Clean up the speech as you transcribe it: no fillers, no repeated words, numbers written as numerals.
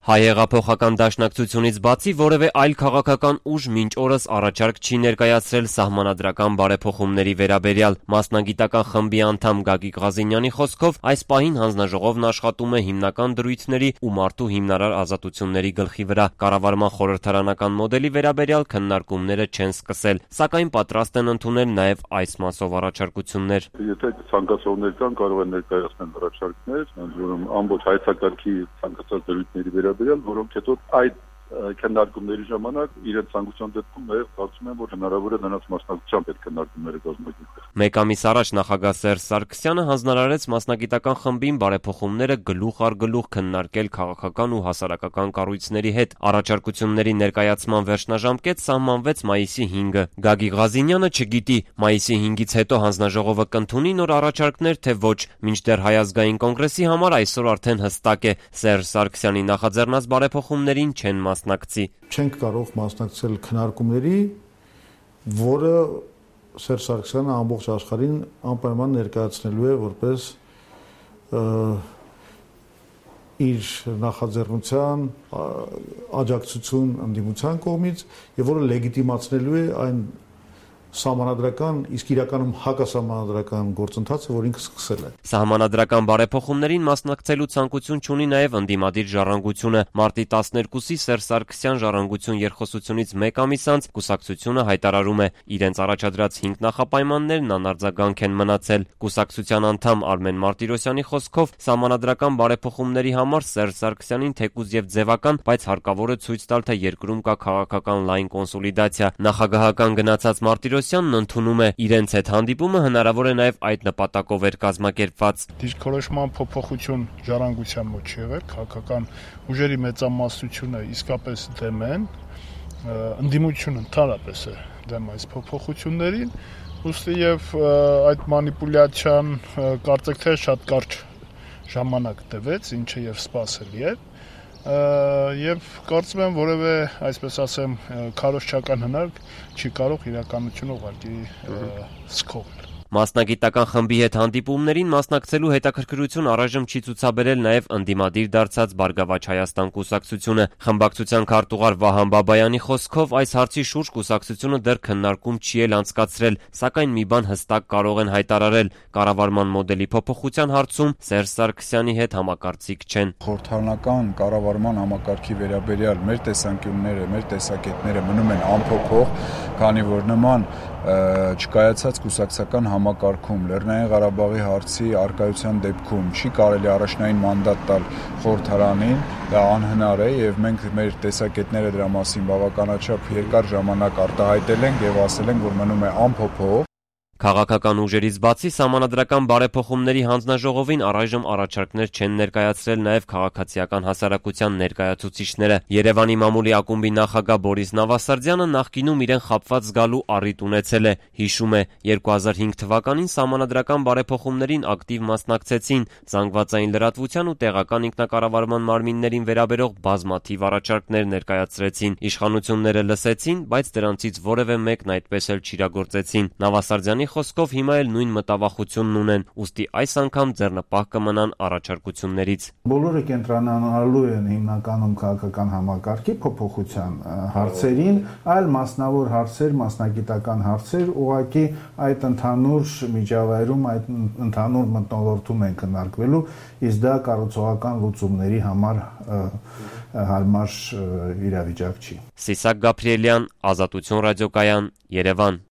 Հայ-հեղափոխական դաշնակցությունից բացի որևէ այլ քաղաքական ուժ մինչ օրս առաջարկ չի ներկայացրել սահմանադրական բարեփոխումների վերաբերյալ։ Մասնագիտական խմբի անդամ Գագիկ Ղազինյանի խոսքով այս պահին հանձնաժողովն աշխատում է հիմնական դրույթների ու մարդու հիմնարար ազատությունների գլխի վրա։ Կառավարման խորհրդարանական մոդելի վերաբերյալ քննարկումները չեն սկսել, սակայն պատրաստ են ընդունել նաև այս մասով առաջարկություններ։ Եթե ցանկացողներ կան, կարող են ներկայացնել առաջարկներ, որոնք ամբողջ հայեցակարգի ցանկացած դրույթների վերաբերյալ, որոնք հետո այդ քննարկումների ժամանակ իրենց ցանկության դեպքում նաև կարծում եմ, որ հնարավոր է նրանց մասնակցությամբ այդ քննարկումները կազմակերպել։ Մեկ ամիս առաջ նախագահ Սերժ Սարգսյանը հանձնարարեց մասնագիտական խմբին բարեփոխումները գլուխ առ գլուխ քննարկել քաղաքական ու հասարակական կառույցների հետ։ Առաջարկությունների ներկայացման վերջնաժամկետ սահմանվեց մայիսի 5-ը։ Գագիկ Ղազինյանը չգիտի մայիսի 5-ից հետո հանձնաժողովը կընդունի նոր առաջարկներ, թե ոչ, մինչդեռ Հայ ազգային կոնգրեսի համար այսօր արդեն հստակ է՝ Սերժ Սարգսյանի նախաձեռնած բարեփոխումներին չեն մասնակցի։ Չենք կարող մասնակցել քննարկումների, որը Սերժ Սարգսյանը ամբողջ աշխարհին անպայման ներկայացնելու է որպես իր նախաձեռնության աջակցություն ընդդիմության կողմից եւ որը լեգիտիմացնելու է այն սահմանադրական, իսկ իրականում հակասահմանադրական գործընթացը, որ ինքը սկսել է։ Սահմանադրական բարեփոխումներին մասնակցելու ցանկություն չունի նաև ընդդիմադիր ժառանգությունը։ Մարտի 12-ի Սերժ Սարգսյան ժառանգություն երկխոսությունից մեկ ամիս անց կուսակցությունը հայտարարում է՝ իրենց առաջադրած 5 նախապայմաններն անարձագանք են մնացել։ Կուսակցության անդամ Արմեն Մարտիրոսյանի խոսքով սահմանադրական բարեփոխումների համար Սերժ Սարգսյանին թեկուզ եւ ձևական, բայց հարկավոր է ցույց տալ, թե երկրում կա քաղաքական լայն կոնսոլիդացիա։ Նախագահական գնացած Մարտիրոսյանն ընդունում է՝ իրենց հետ հանդիպումը հնարավոր է նաև այդ նպատակով էր կազմակերպված։ Դիրքորոշման փոփոխություն ժառանգության մոտ չի եղել, քաղաքական ուժերի մեծամասնությունը իսկապես դեմ են, ընդդիմությունը ընդհանրապես է դեմ այս փոփոխություններին, ուստի եւ այդ մանիպուլյացիան կարծեք թե շատ կարճ ժամանակ տևեց, ինչը եւ սպասելի է։ Եվ կարծում եմ որևէ, այսպես ասեմ, քարոզչական հնարք չի կարող իրականությունը ուղղակի սկսել։ Մասնագիտական խմբի հետ հանդիպումներին մասնակցելու հետաքրքրություն առայժմ չի ցուցաբերել նաև ընդդիմադիր դարձած Բարգավաճ Հայաստան կուսակցությունը։ Խմբակցության քարտուղար Վահան Բաբայանի խոսքով այս հարցի շուրջ կուսակցությունը դեռ քննարկում չի էլ անցկացրել, սակայն մի բան հստակ կարող են հայտարարել՝ կառավարման մոդելի փոփոխության հարցում Սերժ Սարգսյանի հետ համակարծիք չեն։ Խորհրդարանական կառավարման համակարգի վերաբերյալ մեր տեսանկյունները, մեր տեսակետները մնում են անփոփոխ, քանի որ նման չկայացած կուսակցական համակարգում Լեռնային Ղարաբաղի հարցի արկայության դեպքում չի կարելի առաջնային մանդատ տալ խորհրդարանին, դա անհնար է եւ մենք մեր տեսակետները դրա մասին բավականաչափ երկար ժամանակ արտահայտել ենք եւ ասել ենք, որ մնում է անփոփոխ։ Քաղաքական ուժերից բացի սահմանադրական բարեփոխումների հանձնաժողովին առայժմ առաջարկներ չեն ներկայացրել նաև քաղաքացիական հասարակության ներկայացուցիչները։ Երևանի մամուլի ակումբի նախագահ Բորիս Նավասարդյանը նախկինում իրեն խաբված զգալու առիթ ունեցել է։ Հիշում է, 2005 թվականին սահմանադրական բարեփոխումներին ակտիվ մասնակցեցին, զանգվածային լրատվության ու տեղական ինքնակառավարման մարմիններին վերաբերող բազմաթիվ առաջարկներ ներկայացրեցին։ Իշխանությունները լսեցին, բայց դրանցից որևէ մեկն այդպես էլ չիրագործեցին։ Նավասարդյանի խոսքով հիմա էլ նույն մտավախությունն ունեն, ուստի այս անգամ ձեռնպահ կմնան առաջարկություններից։ Բոլորը կենտրոնանալու են հիմնականում քաղաքական համակարգի փոփոխության հարցերին, այլ մասնավոր հարցեր, մասնագիտական հարցեր, ուղղակի այդ ընդհանուր միջավայրում, այդ ընդհանուր մթնոլորտում են քննարկվելու, իսկ դա կառուցողական լուծումների համար հարմար իրավիճակ չի։ Սիսակ Գաբրիելյան, Ազատություն ռադիոկայան, Երևան։